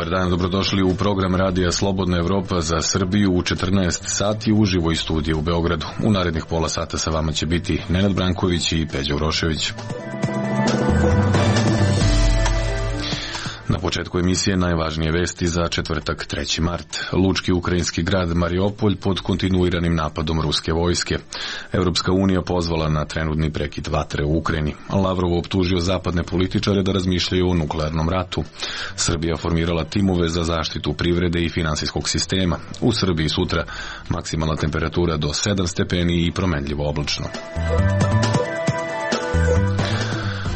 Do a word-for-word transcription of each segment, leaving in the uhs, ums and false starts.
Dobar dan, dobrodošli u program Radija Slobodna Evropa za Srbiju u četrnaest sati uživo iz studija u Beogradu. U narednih pola sata sa vama će biti Nenad Branković i Peđa Urošević. Na početku emisije najvažnije vesti za četvrtak treći mart. Lučki ukrajinski grad Mariupolj pod kontinuiranim napadom ruske vojske. Evropska unija pozvala na trenutni prekid vatre u Ukrajini. Lavrov optužio zapadne političare da razmišljaju o nuklearnom ratu. Srbija formirala timove za zaštitu privrede i finansijskog sistema. U Srbiji sutra maksimalna temperatura do sedam stepeni i promenljivo oblačno.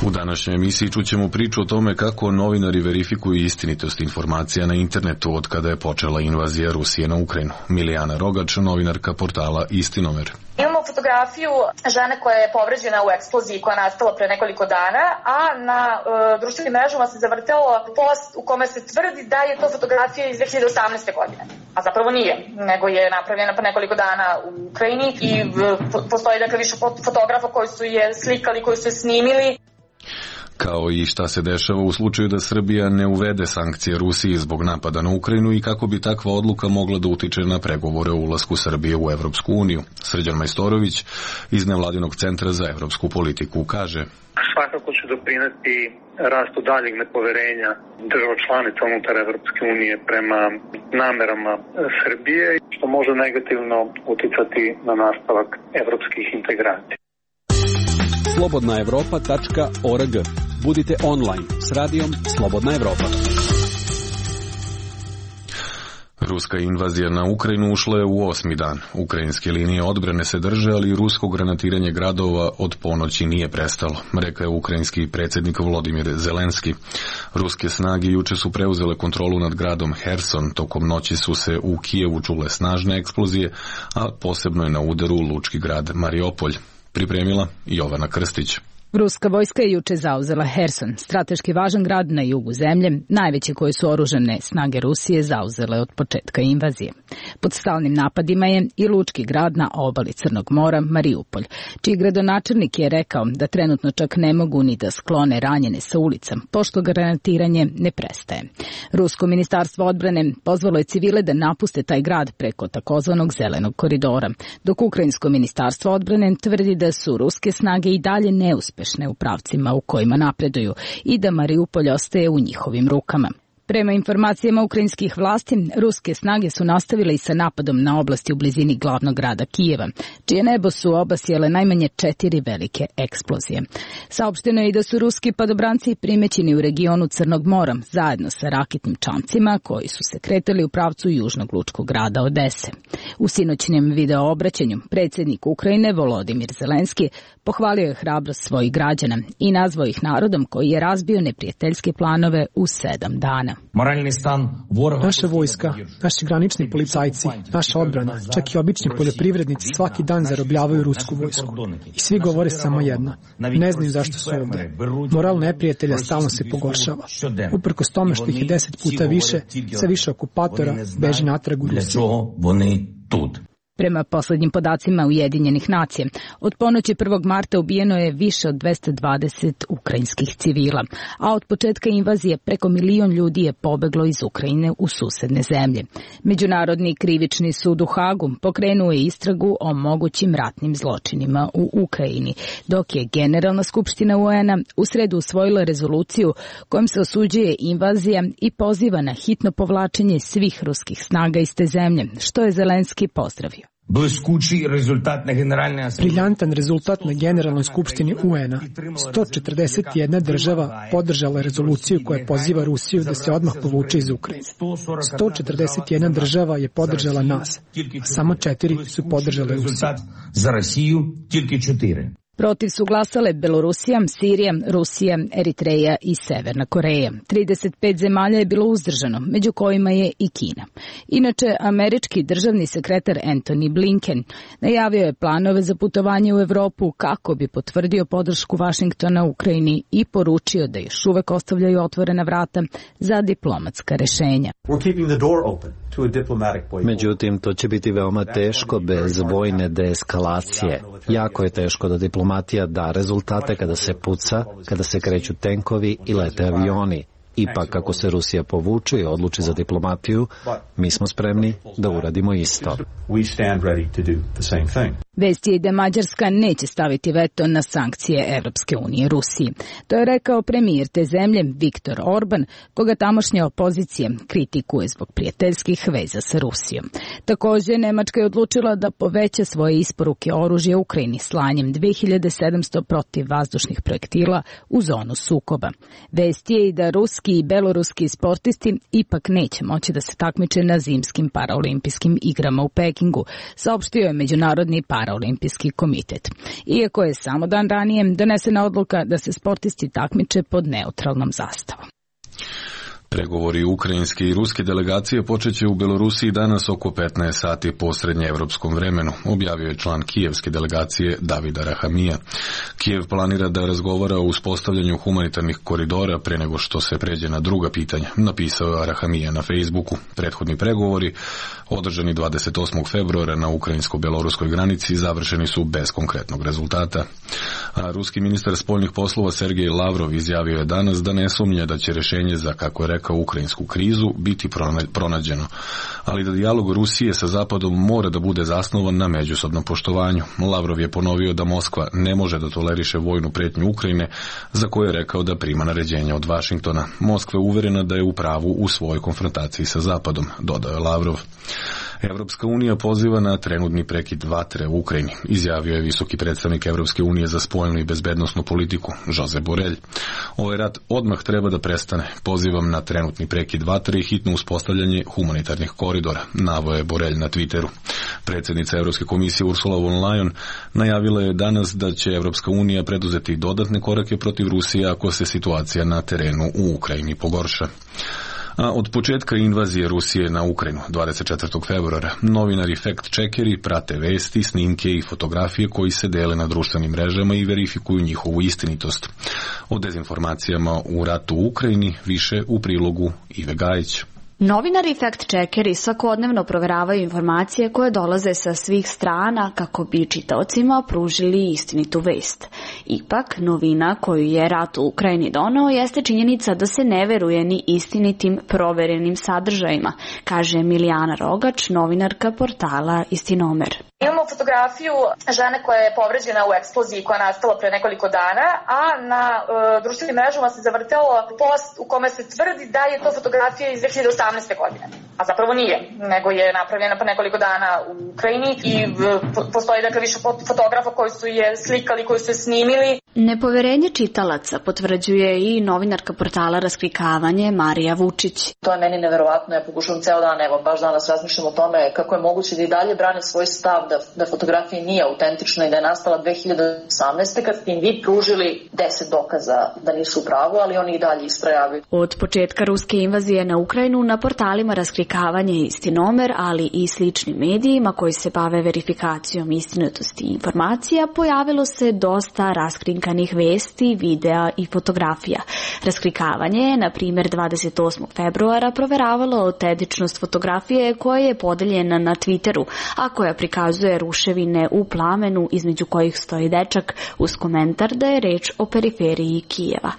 U današnjoj emisiji čućemo priču o tome kako novinari verifikuju istinitost informacija na internetu od kada je počela invazija Rusije na Ukrajinu. Milijana Rogač, novinarka portala Istinomer. Imamo fotografiju žene koja je povređena u eksploziji koja je nastala pre nekoliko dana, a na e, društvenim mrežama se zavrtelo post u kome se tvrdi da je to fotografija iz dve hiljade osamnaeste. godine. A zapravo nije, nego je napravljena pa nekoliko dana u Ukrajini i e, postoji dakle više fotografa koji su je slikali, koji su je snimili. Kao i šta se dešava u slučaju da Srbija ne uvede sankcije Rusiji zbog napada na Ukrajinu i kako bi takva odluka mogla da utiče na pregovore o ulasku Srbije u Evropsku uniju. Srđan Majstorović iz Nevladinog centra za evropsku politiku kaže: svakako će doprineti rastu daljeg nepoverenja država članica unutar Evropske unije prema namerama Srbije, što može negativno uticati na nastavak evropskih integracija. slobodna evropa tačka org. Budite online s radijom Slobodna Evropa. Ruska invazija na Ukrajinu ušla je u osmi dan. Ukrajinske linije odbrane se drže, ali rusko granatiranje gradova od ponoći nije prestalo, rekao je ukrajinski predsjednik Volodimir Zelenski. Ruske snage juče su preuzele kontrolu nad gradom Herson, tokom noći su se u Kijevu čule snažne eksplozije, a posebno je na udaru lučki grad Mariupolj. Pripremila Jovana Krstić. Ruska vojska je juče zauzela Herson, strateški važan grad na jugu zemlje, najveće koje su oružane snage Rusije zauzele od početka invazije. Pod stalnim napadima je i lučki grad na obali Crnog mora, Mariupolj, čiji gradonačelnik je rekao da trenutno čak ne mogu ni da sklone ranjene sa ulica, pošto granatiranje ne prestaje. Rusko ministarstvo odbrane pozvalo je civile da napuste taj grad preko takozvanog zelenog koridora, dok ukrajinsko ministarstvo odbrane tvrdi da su ruske snage i dalje neuspešne u pravcima u kojima napreduju i da Mariupolj ostaje u njihovim rukama. Prema informacijama ukrajinskih vlasti, ruske snage su nastavile i sa napadom na oblasti u blizini glavnog grada Kijeva, čije nebo su obasjele najmanje četiri velike eksplozije. Saopšteno je i da su ruski padobranci primećeni u regionu Crnog mora, zajedno sa raketnim čamcima koji su se kretali u pravcu južnog lučkog grada Odese. U sinoćnjem video obraćanju predsjednik Ukrajine Volodimir Zelenski pohvalio je hrabrost svojih građana i nazvao ih narodom koji je razbio neprijateljske planove u sedam dana. Naša vojska, naši granični policajci, naša odbrana, čak i obični poljoprivrednici svaki dan zarobljavaju rusku vojsku. I svi govore samo jedno. Ne znaju zašto su ovdje. Moral neprijatelja stalno se pogoršava. Uprkos tome što ih je deset puta više, sve više okupatora beži natrag u Rusiju. Prema poslednjim podacima Ujedinjenih nacija, od ponoći prvog marta ubijeno je više od dvesta dvadeset ukrajinskih civila, a od početka invazije preko milion ljudi je pobeglo iz Ukrajine u susedne zemlje. Međunarodni krivični sud u Hagu pokrenuo je istragu o mogućim ratnim zločinima u Ukrajini, dok je Generalna skupština U N-a u sredu usvojila rezoluciju kojom se osuđuje invazija i poziva na hitno povlačenje svih ruskih snaga iz te zemlje, što je Zelenski pozdravio. Briljantan rezultat na Generalnoj skupštini U N-a. sto četrdeset jedna država podržala rezoluciju koja poziva Rusiju da se odmah povuče iz Ukrajine. sto četrdeset jedna država je podržala nas, a samo četiri su podržale Rusiju. Protiv su glasale Belorusija, Sirija, Rusija, Eritreja i Severna Koreja. trideset pet zemalja je bilo uzdržano, među kojima je i Kina. Inače, američki državni sekretar Antony Blinken najavio je planove za putovanje u Evropu kako bi potvrdio podršku Vašingtona Ukrajini i poručio da još uvek ostavljaju otvorena vrata za diplomatska rešenja. Međutim, to će biti veoma teško bez vojne deeskalacije. Jako je teško da diplomatija da rezultate kada se puca, kada se kreću tenkovi i lete avioni. Ipak, ako se Rusija povuče i odluči za diplomatiju, mi smo spremni da uradimo isto. Vest je da Mađarska neće staviti veto na sankcije Evropske unije Rusiji. To je rekao premijer te zemlje Viktor Orban, koga tamošnja opozicija kritikuje zbog prijateljskih veza sa Rusijom. Također, Nemačka je odlučila da poveća svoje isporuke oružja Ukrajini slanjem dve hiljade sedamsto protivvazdušnih projektila u zonu sukoba. Vest je i da ruski i beloruski sportisti ipak neće moći da se takmiče na zimskim paraolimpijskim igrama u Pekingu, saopštio je Međunarodni paraolimpijski komitet. Iako je samo dan ranije donesena odluka da se sportisti takmiče pod neutralnom zastavom. Pregovori ukrajinske i ruske delegacije počeće u Belorusiji danas oko petnaest sati po srednjeevropskom vremenu, objavio je član kijevske delegacije Davida Rahamija. Kijev planira da razgovara o uspostavljanju humanitarnih koridora pre nego što se pređe na druga pitanja, napisao je Rahamija na Facebooku. Prethodni pregovori, održani dvadeset osmog februara na ukrajinsko-beloruskoj granici, završeni su bez konkretnog rezultata. A ruski ministar spoljnih poslova Sergej Lavrov izjavio je danas da ne sumnja da će rješenje za, kako je rekao, ukrajinsku krizu biti pronađeno, ali da dijalog Rusije sa Zapadom mora da bude zasnovan na međusobnom poštovanju. Lavrov je ponovio da Moskva ne može da toleriše vojnu pretnju Ukrajine, za koju je rekao da prima naređenja od Vašingtona. Moskva je uverena da je u pravu u svojoj konfrontaciji sa Zapadom, dodao je Lavrov. Evropska unija poziva na trenutni prekid vatre u Ukrajini, izjavio je visoki predstavnik Evropske unije za spoljnu i bezbednosnu politiku, Josep Borrell. Ovaj rat odmah treba da prestane. Pozivam na trenutni prekid vatre i hitno uspostavljanje humanitarnih koridora, naveo je Borrell na Twitteru. Predsjednica Evropske komisije Ursula von Leyen najavila je danas da će Evropska unija preduzeti dodatne korake protiv Rusije ako se situacija na terenu u Ukrajini pogorša. A od početka invazije Rusije na Ukrajinu, dvadeset četvrtog februara, novinari fact-checkeri prate vesti, snimke i fotografije koji se dele na društvenim mrežama i verifikuju njihovu istinitost. O dezinformacijama u ratu u Ukrajini više u prilogu Ive Gajić. Novinari i fact-checkeri svakodnevno proveravaju informacije koje dolaze sa svih strana kako bi čitaocima pružili istinitu vest. Ipak, novina koju je rat u Ukrajini doneo jeste činjenica da se ne veruje ni istinitim proverenim sadržajima, kaže Milijana Rogač, novinarka portala Istinomer. Imamo fotografiju žene koja je povređena u eksploziji koja je nastala pre nekoliko dana, a na e, društvenim mrežama se zavrtelo post u kome se tvrdi da je to fotografija iz dve hiljade osamnaeste. godine. A zapravo nije, nego je napravljena pre nekoliko dana u Ukrajini i e, postoji dakle više fotografa koji su je slikali, koji su je snimili. Nepoverenje čitalaca potvrđuje i novinarka portala Raskrikavanje Marija Vučić. To je meni neverovatno, ja pokušavam ceo dan, evo baš danas razmišljam o tome kako je moguće da i dalje brane svoj stav da, da fotografija nije autentična i da je nastala dve hiljade osamnaeste. kad ste im vi pružili deset dokaza da nisu u pravu, ali oni i dalje istrajavaju. Od početka ruske invazije na Ukrajinu na portalima Raskrikavanje i Istinomer, ali i sličnim medijima koji se bave verifikacijom istinitosti informacija, pojavilo se dosta raskrinkanih vesti, videa i fotografija. Raskrikavanje je, na primjer, dvadeset osmog februara proveravalo autentičnost fotografije koja je podeljena na Twitteru, a koja prikazuje ruševine u plamenu između kojih stoji dečak uz komentar da je reč o periferiji Kijeva.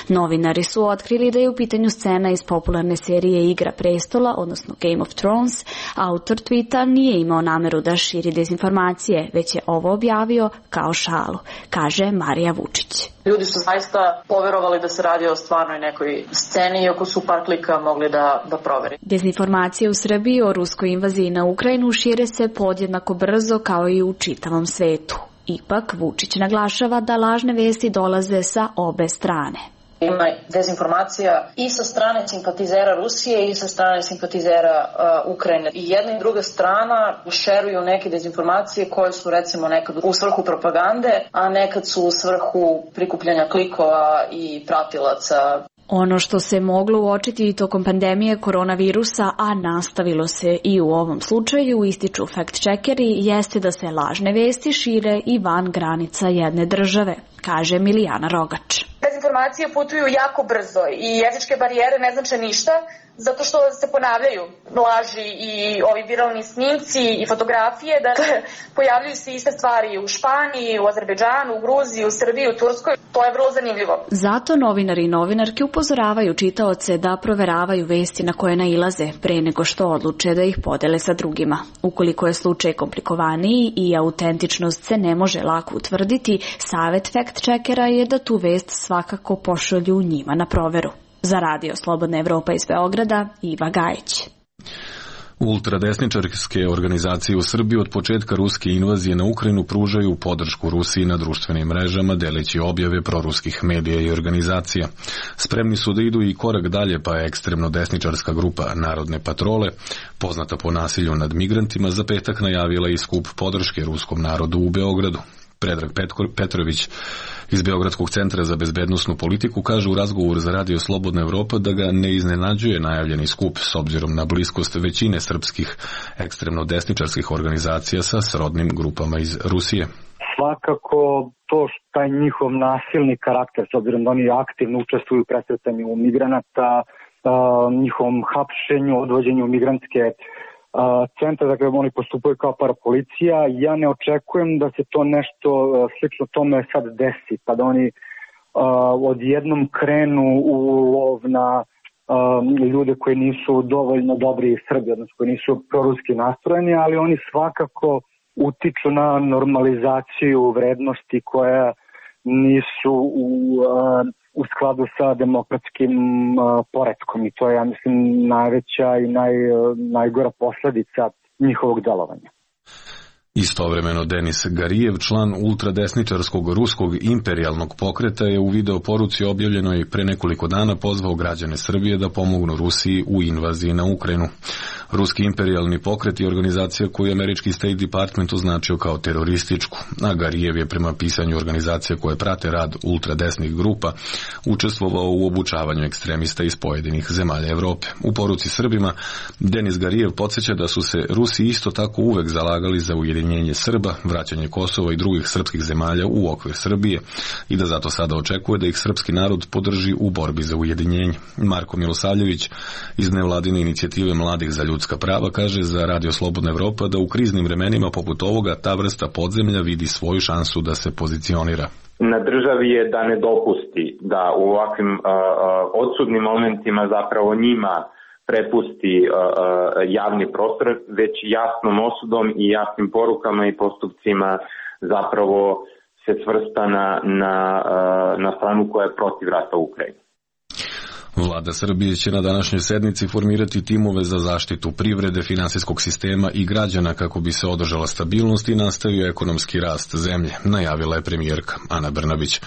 Novinari su otkrili da je u pitanju scena iz popularne serije Igra prestola, odnosno Game of Thrones. Autor tweeta nije imao nameru da širi dezinformacije, već je ovo objavio kao šalu, kaže Marija Vučić. Ljudi su zaista poverovali da se radi o stvarnoj nekoj sceni, iako su par klika mogli da, da proveri. Dezinformacije u Srbiji o ruskoj invaziji na Ukrajinu šire se podjednako brzo kao i u čitavom svetu. Ipak, Vučić naglašava da lažne vesti dolaze sa obe strane. Ima dezinformacija i sa strane simpatizera Rusije i sa strane simpatizera uh, Ukrajine. I jedna i druga strana šeruju neke dezinformacije koje su recimo nekad u svrhu propagande, a nekad su u svrhu prikupljanja klikova i pratilaca. Ono što se moglo uočiti i tokom pandemije koronavirusa, a nastavilo se i u ovom slučaju, ističu fact-checkeri, jeste da se lažne vesti šire i van granica jedne države, kaže Milijana Rogač. Dezinformacije putuju jako brzo i jezičke barijere ne znače ništa. zato što se ponavljaju laži i ovi viralni snimci i fotografije, da pojavljuju se iste stvari u Španiji, u Azerbejdžanu, u Gruziji, u Srbiji, u Turskoj. To je vrlo zanimljivo. Zato novinari i novinarke upozoravaju čitaoce da proveravaju vesti na koje nailaze pre nego što odluče da ih podele sa drugima. Ukoliko je slučaj komplikovaniji i autentičnost se ne može lako utvrditi, savet fact-checkera je da tu vest svakako pošalju njima na proveru. Za Radio Slobodna Evropa iz Beograda, Iva Gajić. Ultradesničarske organizacije u Srbiji od početka ruske invazije na Ukrajinu pružaju podršku Rusiji na društvenim mrežama, deleći objave proruskih medija i organizacija. Spremni su da idu i korak dalje, pa je ekstremno desničarska grupa Narodne patrole, poznata po nasilju nad migrantima, za petak najavila i skup podrške ruskom narodu u Beogradu. Predrag Petrović iz Beogradskog centra za bezbednosnu politiku kaže u razgovoru za Radio Slobodna Evropa da ga ne iznenađuje najavljeni skup s obzirom na bliskost većine srpskih ekstremno desničarskih organizacija sa srodnim grupama iz Rusije. Svakako to što taj njihov nasilni karakter, s obzirom da oni aktivno učestvuju u presretanju migranata, njihovom hapšenju, odvođenju migrantske centra, dakle oni postupaju kao parapolicija. Ja ne očekujem da se to nešto slično tome sad desi, pa da oni odjednom krenu u lov na ljude koji nisu dovoljno dobri Srbi, odnosno koji nisu proruski nastrojeni, ali oni svakako utiču na normalizaciju vrednosti koja nisu u u skladu sa demokratskim uh, poretkom i to je, ja mislim, najveća i naj, najgora posledica njihovog delovanja. Istovremeno Denis Garijev, član ultradesničarskog ruskog imperijalnog pokreta, je u video poruci objavljenoj pre nekoliko dana pozvao građane Srbije da pomognu Rusiji u invaziji na Ukrajinu. Ruski imperijalni pokret je organizacija koju je američki State Department označio kao terorističku, a Garijev je prema pisanju organizacija koje prate rad ultradesnih grupa učestvovao u obučavanju ekstremista iz pojedinih zemalja Evrope. U poruci Srbima Denis Garijev podsjeća da su se Rusi isto tako uvek zalagali za ujedinjenje Srba, vraćanje Kosova i drugih srpskih zemalja u okvir Srbije i da zato sada očekuje da ih srpski narod podrži u borbi za ujedinjenje. Marko Milosavljević iz nevladine inicijative Mladih za ljudska prava kaže za Radio Slobodna Evropa da u kriznim vremenima poput ovoga ta vrsta podzemlja vidi svoju šansu da se pozicionira. Na državi je da ne dopusti da u ovakvim uh, odsudnim momentima zapravo njima prepusti uh, javni prostor, već jasnom osudom i jasnim porukama i postupcima zapravo se svrsta na, na, uh, na stranu koja je protiv rata u Ukrajini. Vlada Srbije će na današnjoj sednici formirati timove za zaštitu privrede, finansijskog sistema i građana kako bi se održala stabilnost i nastavio ekonomski rast zemlje, najavila je premijerka Ana Brnabić.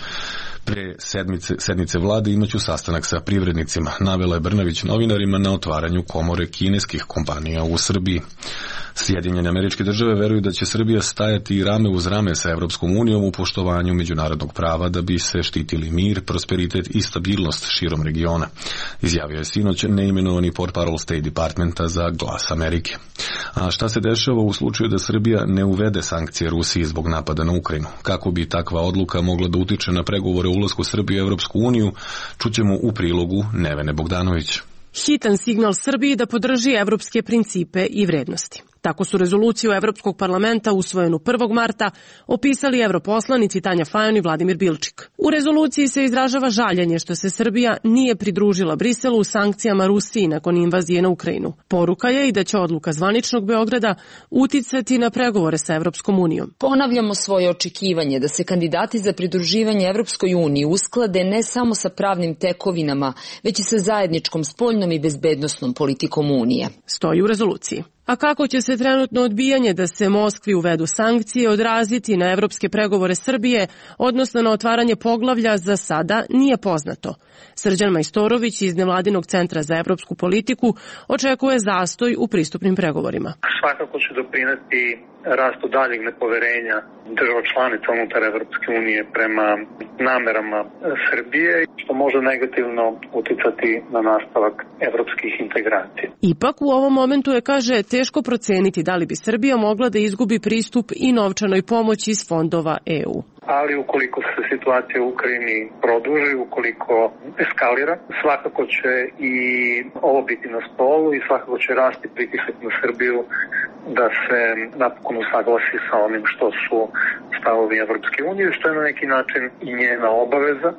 Pre sedmice, sednice vlade imaću sastanak sa privrednicima, navela je Brnabić novinarima na otvaranju komore kineskih kompanija u Srbiji. Sjedinjene Američke Države veruju da će Srbija stajati rame uz rame sa Evropskom unijom u poštovanju međunarodnog prava da bi se štitili mir, prosperitet i stabilnost širom regiona, izjavio je sinoć neimenovani portparol State Departmenta za Glas Amerike. A šta se dešava u slučaju da Srbija ne uvede sankcije Rusiji zbog napada na Ukrajinu? Kako bi takva odluka mogla da utiče na pregovore o ulasku Srbije u Evropsku uniju, čućemo u prilogu Nevene Bogdanović. Hitan signal Srbiji da podrži evropske principe i vrednosti. Tako su rezoluciju Evropskog parlamenta usvojenu prvog marta opisali europoslanici Tanja Fajon i Vladimir Bilčik. U rezoluciji se izražava žaljenje što se Srbija nije pridružila Briselu u sankcijama Rusiji nakon invazije na Ukrajinu. Poruka je i da će odluka zvaničnog Beograda uticati na pregovore sa Evropskom unijom. Ponavljamo svoje očekivanje da se kandidati za pridruživanje Evropskoj uniji usklade ne samo sa pravnim tekovinama, već i sa zajedničkom spoljnom i bezbednosnom politikom Unije. Stoji u rezoluciji. A kako će se trenutno odbijanje da se Moskvi uvedu sankcije odraziti na evropske pregovore Srbije, odnosno na otvaranje poglavlja, za sada nije poznato. Srđan Majstorović iz Nevladinog centra za evropsku politiku očekuje zastoj u pristupnim pregovorima. Svakako će doprineti rastu daljeg nepoverenja država članica unutar Evropske unije prema namerama Srbije, što može negativno uticati na nastavak evropskih integracija. Ipak u ovom momentu je, kaže, teško proceniti da li bi Srbija mogla da izgubi pristup i novčanoj pomoći iz fondova E U. ali ukoliko se situacija u Ukrajini produži, ukoliko eskalira, svakako će i ovo biti na stolu i svakako će rasti pritisak na Srbiju da se napokon usaglasi sa onim što su stavovi Evropske unije, što je na neki način i njena obaveza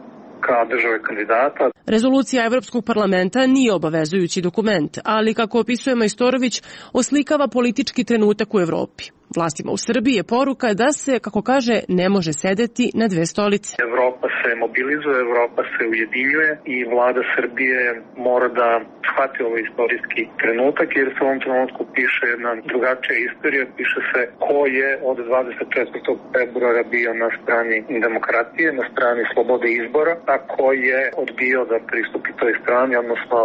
kao države kandidata. Rezolucija Evropskog parlamenta nije obavezujući dokument, ali kako opisuje Majstorović, oslikava politički trenutak u Evropi. Vlastima u Srbiji je poruka da se, kako kaže, ne može sedeti na dve stolice. Evropa se mobilizuje, Evropa se ujedinjuje i vlada Srbije mora da shvati ovaj istorijski trenutak, jer se u ovom trenutku piše jedna drugačija istorija, piše se ko je od dvadeset četvrtog februara bio na strani demokratije, na strani slobode izbora, a ko je odbio da pristupi toj strani, odnosno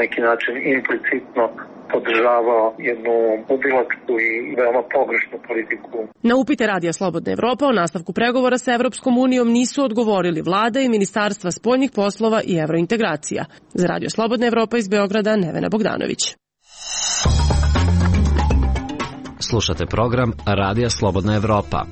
neki način implicitno podržavao jednu ubilačku i veoma pogrešnu politiku. Na upite Radija Slobodna Evropa o nastavku pregovora sa Evropskom unijom nisu odgovorili vlada i Ministarstva spoljnih poslova i evrointegracija. Za Radio Slobodna Evropa iz Beograda, Nevena Bogdanović. Slušate program Radija Slobodna Evropa.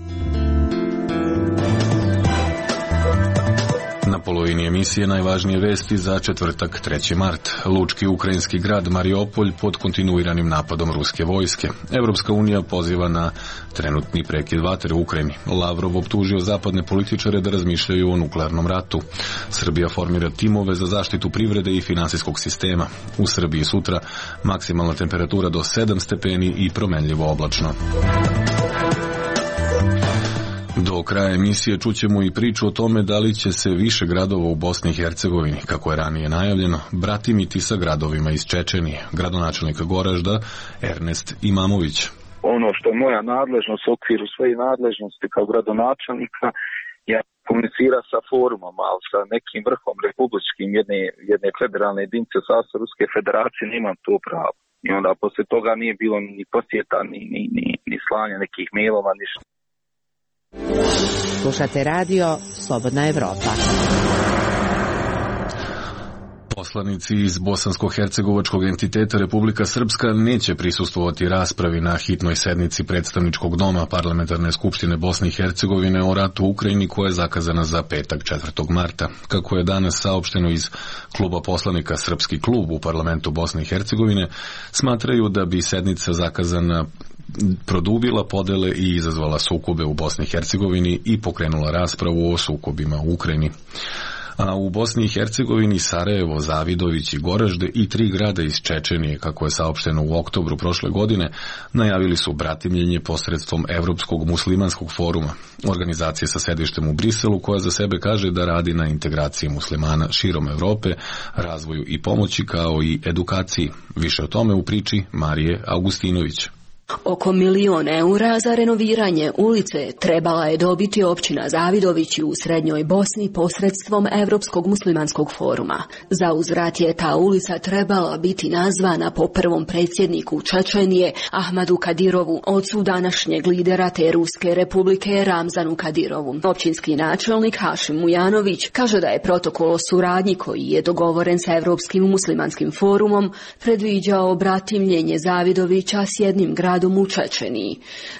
Na polovini emisije najvažnije vesti za četvrtak treći mart. Lučki ukrajinski grad Mariopolj pod kontinuiranim napadom ruske vojske. Evropska unija poziva na trenutni prekid vatre u Ukrajini. Lavrov optužio zapadne političare da razmišljaju o nuklearnom ratu. Srbija formira timove za zaštitu privrede i finansijskog sistema. U Srbiji sutra maksimalna temperatura do sedam stepeni i promenljivo oblačno. Do kraja emisije čućemo i priču o tome da li će se više gradova u Bosni i Hercegovini, kako je ranije najavljeno, bratimiti sa gradovima iz Čečenije. Gradonačelnik Goražda Ernest Imamović. Ono što je moja nadležnost u okviru svoje nadležnosti kao gradonačelnika je komunicira sa forumom, ali sa nekim vrhom republičkim jedne, jedne federalne jedinice u sastavu Ruske federacije nemam to pravo. I onda posle toga nije bilo ni posjeta, ni, ni, ni, ni slanja nekih mailova, ništa. Slušate radio Slobodna Evropa. Poslanici iz bosansko-hercegovačkog entiteta Republika Srpska neće prisustvovati raspravi na hitnoj sednici predstavničkog doma Parlamentarne skupštine Bosne i Hercegovine o ratu u Ukrajini koja je zakazana za petak četvrtog marta. Kako je danas saopšteno iz kluba poslanika Srpski klub u parlamentu Bosne i Hercegovine, smatraju da bi sednica zakazana produbila podele i izazvala sukobe u Bosni i Hercegovini i pokrenula raspravu o sukobima u Ukrajini. A u Bosni i Hercegovini Sarajevo, Zavidović i Goražde i tri grada iz Čečenije, kako je saopšteno u oktobru prošle godine, najavili su bratimljenje posredstvom Evropskog muslimanskog foruma, organizacije sa sedištem u Briselu koja za sebe kaže da radi na integraciji muslimana širom Evrope, razvoju i pomoći kao i edukaciji. Više o tome u priči Marije Augustinović. Oko milion eura za renoviranje ulice trebala je dobiti općina Zavidović u Srednjoj Bosni posredstvom Evropskog muslimanskog foruma. Za uzvrat je ta ulica trebala biti nazvana po prvom predsjedniku Čečenije Ahmadu Kadirovu, ocu današnjeg lidera te Ruske republike Ramzanu Kadirovu. Općinski načelnik Hašim Mujanović kaže da je protokol o suradnji koji je dogovoren sa Evropskim muslimanskim forumom predviđao bratimljenje Zavidovića s jednim gradom u Čečeniji,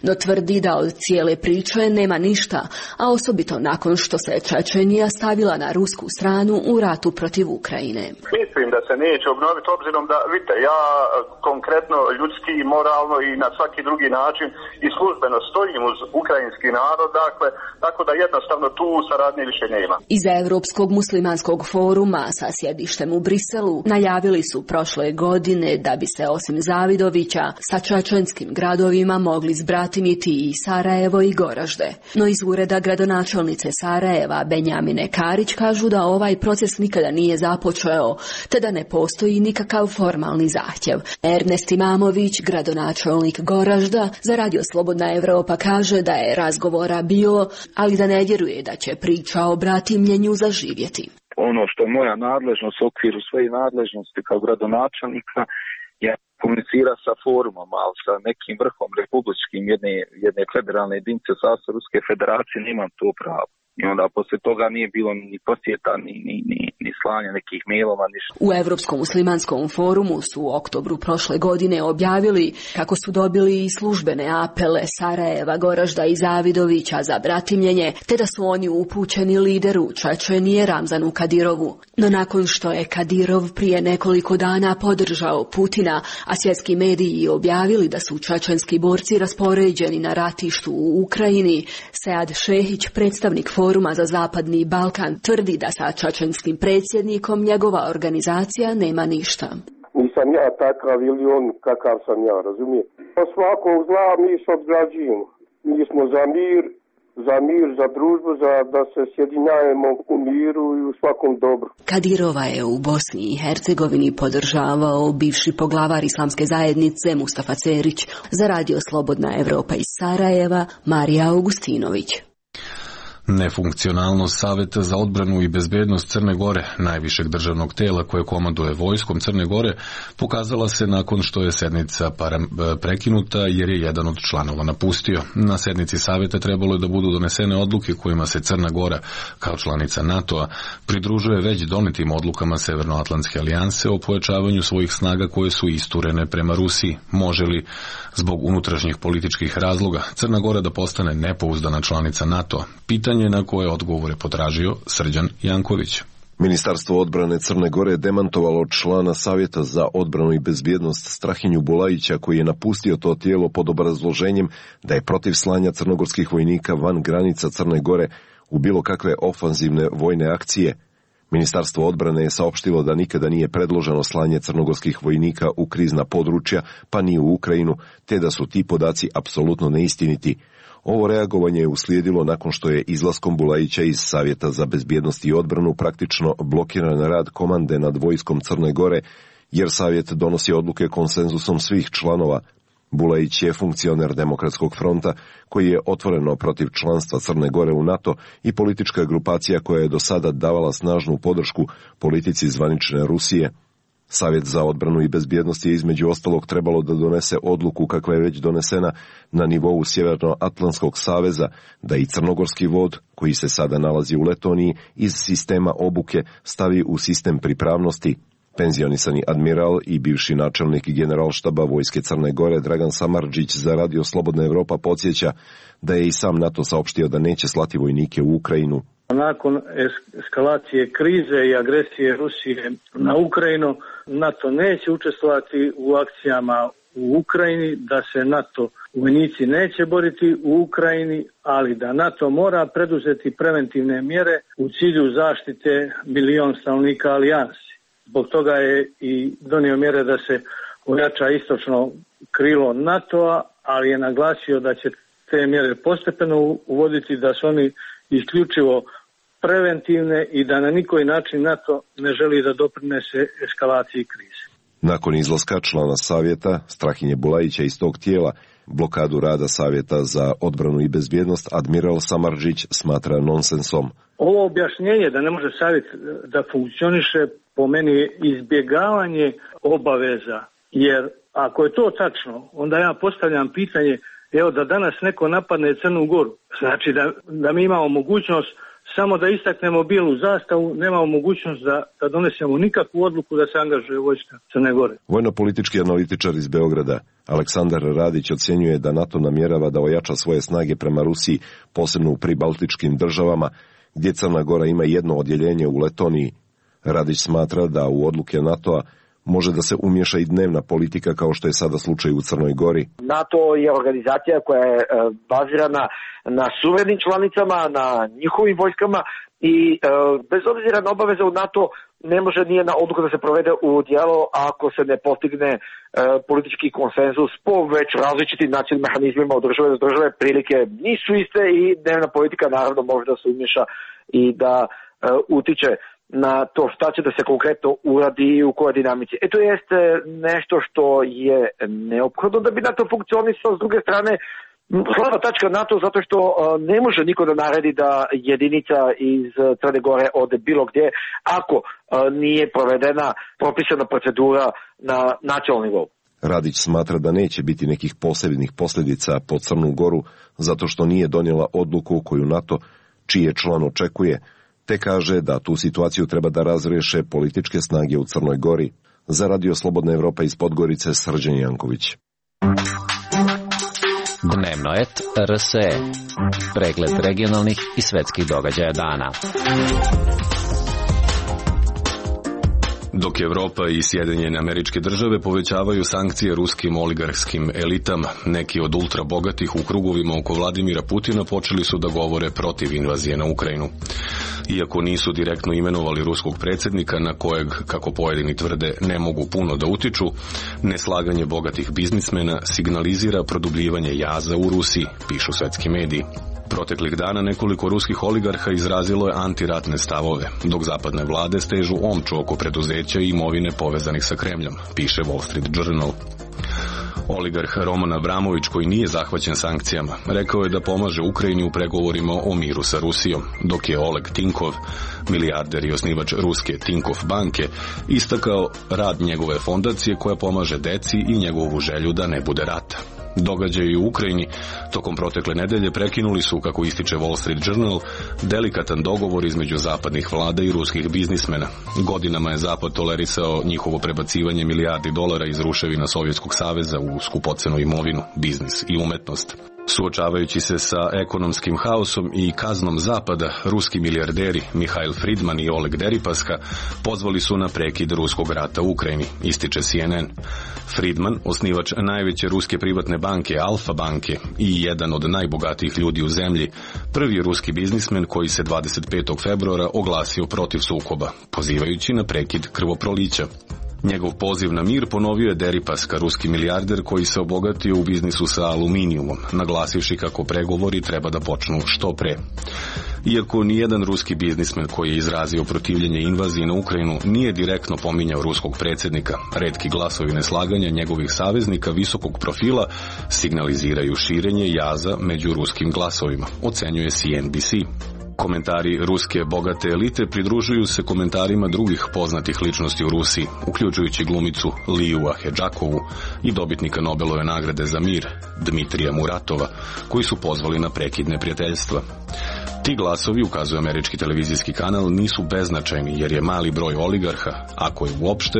no tvrdi da od cijele priče nema ništa, a osobito nakon što se Čečenija stavila na rusku stranu u ratu protiv Ukrajine. Mislim da se neće obnoviti obzirom da, vidite, ja konkretno ljudski i moralno i na svaki drugi način i službeno stojim uz ukrajinski narod, dakle, tako da jednostavno tu saradnje više nema. Iz Evropskog muslimanskog foruma sa sjedištem u Briselu najavili su prošle godine da bi se osim Zavidovića sa čečenskim gradovima mogli zbratimiti i Sarajevo i Goražde. No iz ureda gradonačelnice Sarajeva Benjamine Karić kažu da ovaj proces nikada nije započeo, te da ne postoji nikakav formalni zahtjev. Ernest Imamović, gradonačelnik Goražda, za Radio Slobodna Evropa kaže da je razgovora bilo, ali da ne vjeruje da će priča o bratimljenju zaživjeti. Ono što je moja nadležnost u okviru svoje nadležnosti kao gradonačelnika je komunicira sa forumom, ali sa nekim vrhom republičkim jedne, jedne federalne jedinice u sastavu Ruske federacije nemam to pravo. I onda posle toga nije bilo ni posjeta, ni, ni, ni, ni slanja nekih mailova, ništa. U Evropskom muslimanskom forumu su u oktobru prošle godine objavili kako su dobili i službene apele Sarajeva, Goražda i Zavidovića za bratimljenje, te da su oni upućeni lideru Čečenije Ramzanu Kadirovu. No nakon što je Kadirov prije nekoliko dana podržao Putina, a svjetski mediji objavili da su čečenski borci raspoređeni na ratištu u Ukrajini, Sead Šehić, predstavnik Foruma za Zapadni Balkan, tvrdi da sa čečenskim predsjednikom njegova organizacija nema ništa. Nisam ja takav ili on kakav sam ja, razumije? Po svakog zla mi se odgrađujemo. Mi smo za mir, za mir, za družbu, za da se sjedinjajemo u miru i u svakom dobru. Kadirova je u Bosni i Hercegovini podržavao bivši poglavar islamske zajednice Mustafa Cerić. Za radio Slobodna Evropa iz Sarajeva, Marija Augustinović. Nefunkcionalnost Saveta za odbranu i bezbednost Crne Gore, najvišeg državnog tela koje komanduje vojskom Crne Gore, pokazala se nakon što je sednica prekinuta jer je jedan od članova napustio. Na sednici Saveta trebalo je da budu donesene odluke kojima se Crna Gora, kao članica NATO-a, pridružuje već donetim odlukama Severnoatlantske alijanse o pojačavanju svojih snaga koje su isturene prema Rusiji. Može li, zbog unutrašnjih političkih razloga, Crna Gora da postane nepouzdana članica NATO-a? Pitanje na koje odgovore potražio Srđan Janković. Ministarstvo odbrane Crne Gore je demantovalo člana Savjeta za odbranu i bezbjednost Strahinju Bulajića, koji je napustio to tijelo pod obrazloženjem da je protiv slanja crnogorskih vojnika van granica Crne Gore u bilo kakve ofanzivne vojne akcije. Ministarstvo odbrane je saopštilo da nikada nije predloženo slanje crnogorskih vojnika u krizna područja, pa ni u Ukrajinu, te da su ti podaci apsolutno neistiniti. Ovo reagovanje je uslijedilo nakon što je izlaskom Bulajića iz Savjeta za bezbjednost i odbranu praktično blokiran rad komande nad vojskom Crne Gore, jer Savjet donosi odluke konsenzusom svih članova. Bulajić je funkcioner Demokratskog fronta koji je otvoreno protiv članstva Crne Gore u NATO i politička grupacija koja je do sada davala snažnu podršku politici zvanične Rusije. Savjet za odbranu i bezbjednost je između ostalog trebalo da donese odluku kakva je već donesena na nivou Sjevernoatlantskog saveza, da i crnogorski vod, koji se sada nalazi u Letoniji, iz sistema obuke stavi u sistem pripravnosti. Penzionisani admiral i bivši načelnik generalštaba vojske Crne Gore Dragan Samardžić za radio Slobodna Evropa podsjeća da je i sam NATO saopštio da neće slati vojnike u Ukrajinu. Nakon eskalacije krize i agresije Rusije na Ukrajinu, NATO neće učestvovati u akcijama u Ukrajini, da se NATO vojnici neće boriti u Ukrajini, ali da NATO mora preduzeti preventivne mjere u cilju zaštite milion stanovnika alijansi. Zbog toga je i donio mjere da se ojača istočno krilo NATO-a, ali je naglasio da će te mjere postepeno uvoditi, da su oni isključivo preventivne i da na nikoji način NATO ne želi da doprinese eskalaciji krize. Nakon izlaska člana Savjeta, Strahinje Bulajića iz tog tijela, blokadu rada Savjeta za odbranu i bezbjednost admiral Samardžić smatra nonsensom. Ovo objašnjenje da ne može Savjet da funkcioniše po meni je izbjegavanje obaveza, jer ako je to tačno, onda ja postavljam pitanje, evo da danas neko napadne Crnu Goru, znači da, da mi imamo mogućnost samo da istaknemo bijelu zastavu, nemamo mogućnost da, da donesemo nikakvu odluku da se angažuje vojska Crne Gore. Vojno-politički analitičar iz Beograda Aleksandar Radić ocjenjuje da NATO namjerava da ojača svoje snage prema Rusiji, posebno u pribaltičkim državama, gdje Crna Gora ima jedno odjeljenje u Letoniji. Radić smatra da u odluke NATO-a može da se umješa i dnevna politika kao što je sada slučaj u Crnoj Gori. NATO je organizacija koja je bazirana na suverenim članicama, na njihovim vojskama i bez obzira na obaveze u NATO ne može nije na odluka da se provede u djelo ako se ne postigne politički konsenzus po već različitim nacionalnim mehanizmima od države do države. Prilike nisu iste i dnevna politika naravno može da se umješa i da utiče na to šta će da se konkretno uradi i u kojoj dinamici. E to jeste nešto što je neophodno da bi NATO funkcionisao. S druge strane, slaba tačka NATO zato što ne može niko da naredi da jedinica iz Crne Gore ode bilo gdje ako nije provedena propisana procedura na nacionalnom nivou. Radić smatra da neće biti nekih posebnih posljedica po Crnu Goru zato što nije donijela odluku koju NATO čije član očekuje, te kaže da tu situaciju treba da razreše političke snage u Crnoj Gori. Za Radio Slobodna Evropa iz Podgorice, Srđan Janković. Dnevnoet R S E. Pregled regionalnih i svetskih događaja dana. Dok Evropa i Sjedinjene Američke Države povećavaju sankcije ruskim oligarhskim elitama, neki od ultrabogatih u krugovima oko Vladimira Putina počeli su da govore protiv invazije na Ukrajinu. Iako nisu direktno imenovali ruskog predsjednika, na kojeg, kako pojedini tvrde, ne mogu puno da utiču, neslaganje bogatih biznismena signalizira produbljivanje jaza u Rusiji, pišu svetski mediji. Proteklih dana nekoliko ruskih oligarha izrazilo je antiratne stavove, dok zapadne vlade stežu omču oko preduzeća i imovine povezanih sa Kremljom, piše Wall Street Journal. Oligarh Roman Abramović, koji nije zahvaćen sankcijama, rekao je da pomaže Ukrajini u pregovorima o miru sa Rusijom, dok je Oleg Tinkov, milijarder i osnivač ruske Tinkov banke, istakao rad njegove fondacije koja pomaže deci i njegovu želju da ne bude rata. Događaji u Ukrajini tokom protekle nedelje prekinuli su, kako ističe Wall Street Journal, delikatan dogovor između zapadnih vlada i ruskih biznismena. Godinama je Zapad tolerisao njihovo prebacivanje milijardi dolara iz ruševina Sovjetskog saveza u skupocenu imovinu, biznis i umetnost. Suočavajući se sa ekonomskim haosom i kaznom Zapada, ruski milijarderi Mihail Friedman i Oleg Deripaska pozvali su na prekid ruskog rata u Ukrajini, ističe C N N. Friedman, osnivač najveće ruske privatne banke Alfa banke i jedan od najbogatijih ljudi u zemlji, prvi je ruski biznismen koji se dvadeset petog februara oglasio protiv sukoba, pozivajući na prekid krvoprolića. Njegov poziv na mir ponovio je Deripaska, ruski milijarder koji se obogatio u biznisu sa aluminijumom, naglasivši kako pregovori treba da počnu što pre. Iako nijedan ruski biznismen koji je izrazio protivljenje invaziji na Ukrajinu nije direktno pominjao ruskog predsjednika, retki glasovi neslaganja njegovih saveznika visokog profila signaliziraju širenje jaza među ruskim glasovima, ocenjuje C N B C. Komentari ruske bogate elite pridružuju se komentarima drugih poznatih ličnosti u Rusiji, uključujući glumicu Liju Ahedžakovu i dobitnika Nobelove nagrade za mir, Dmitrija Muratova, koji su pozvali na prekid neprijateljstva. Ti glasovi, ukazuje američki televizijski kanal, nisu beznačajni jer je mali broj oligarha, ako je uopšte,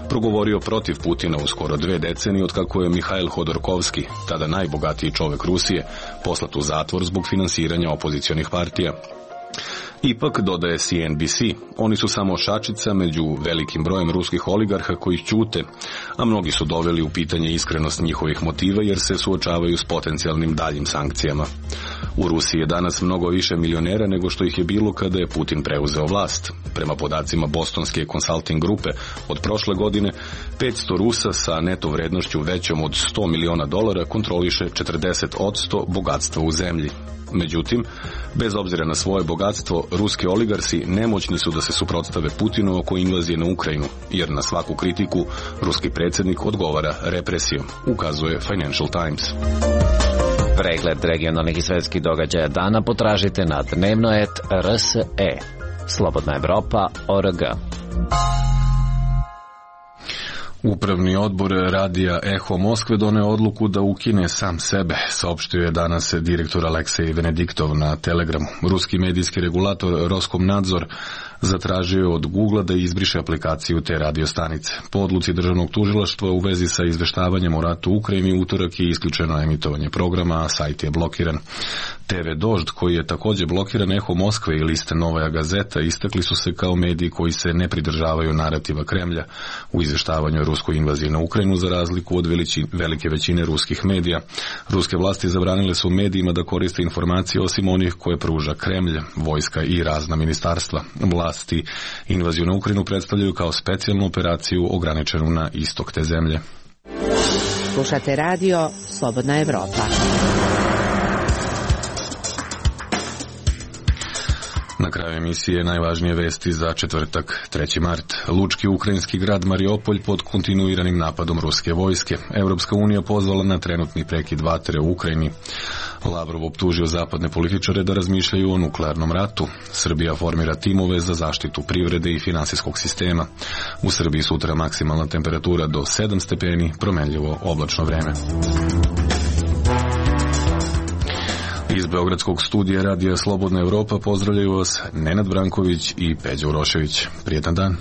progovorio protiv Putina u skoro dve decenije otkako je Mihail Hodorkovski, tada najbogatiji čovek Rusije, poslat u zatvor zbog finansiranja opozicionih partija. Ipak, dodaje C N B C, oni su samo šačica među velikim brojem ruskih oligarha koji ćute, a mnogi su doveli u pitanje iskrenost njihovih motiva jer se suočavaju s potencijalnim daljim sankcijama. U Rusiji je danas mnogo više milionera nego što ih je bilo kada je Putin preuzeo vlast. Prema podacima Bostonske consulting grupe, od prošle godine petsto Rusa sa neto vrednošću većom od sto miliona dolara kontroliše četrdeset posto bogatstva u zemlji. Međutim, bez obzira na svoje bogatstvo, ruski oligarsi nemoćni su da se suprotstave Putinu oko invazije na Ukrajinu, jer na svaku kritiku ruski predsjednik odgovara represijom, ukazuje Financial Times. Pregled regionalnih i svetskih događaja dana potražite na dnevnoet R S E. Slobodna Evropa, O R G. Upravni odbor radija Eho Moskve doneo odluku da ukine sam sebe, saopštio je danas direktor Aleksej Venediktov na Telegramu. Ruski medijski regulator Roskomnadzor zatražio je od Googlea da izbriše aplikaciju te radiostanice. Po odluci državnog tužilaštva u vezi sa izveštavanjem o ratu u Ukrajini, utorak je isključeno emitovanje programa, a sajt je blokiran. T V Dožd, koji je također blokiran, Eho Moskve i liste Novaja Gazeta istakli su se kao mediji koji se ne pridržavaju narativa Kremlja u izveštavanju o ruskoj invaziji na Ukrajinu, za razliku od veliči, velike većine ruskih medija. Ruske vlasti zabranile su medijima da koriste informacije osim onih koje pruža Kremlj, vojska i razna ministarstva. Vlasti invaziju na Ukrajinu predstavljaju kao specijalnu operaciju ograničenu na istok te zemlje. Slušate radio Slobodna Evropa. Na kraju emisije najvažnije vesti za četvrtak, treći mart. Lučki ukrajinski grad Mariopolj pod kontinuiranim napadom ruske vojske. Evropska unija pozvala na trenutni prekid vatre u Ukrajini. Lavrov optužio zapadne političare da razmišljaju o nuklearnom ratu. Srbija formira timove za zaštitu privrede i finansijskog sistema. U Srbiji sutra maksimalna temperatura do sedam stepeni, promenljivo oblačno vreme. Iz Beogradskog studija radija Slobodna Evropa pozdravljaju vas Nenad Branković i Peđa Urošević. Prijetan dan.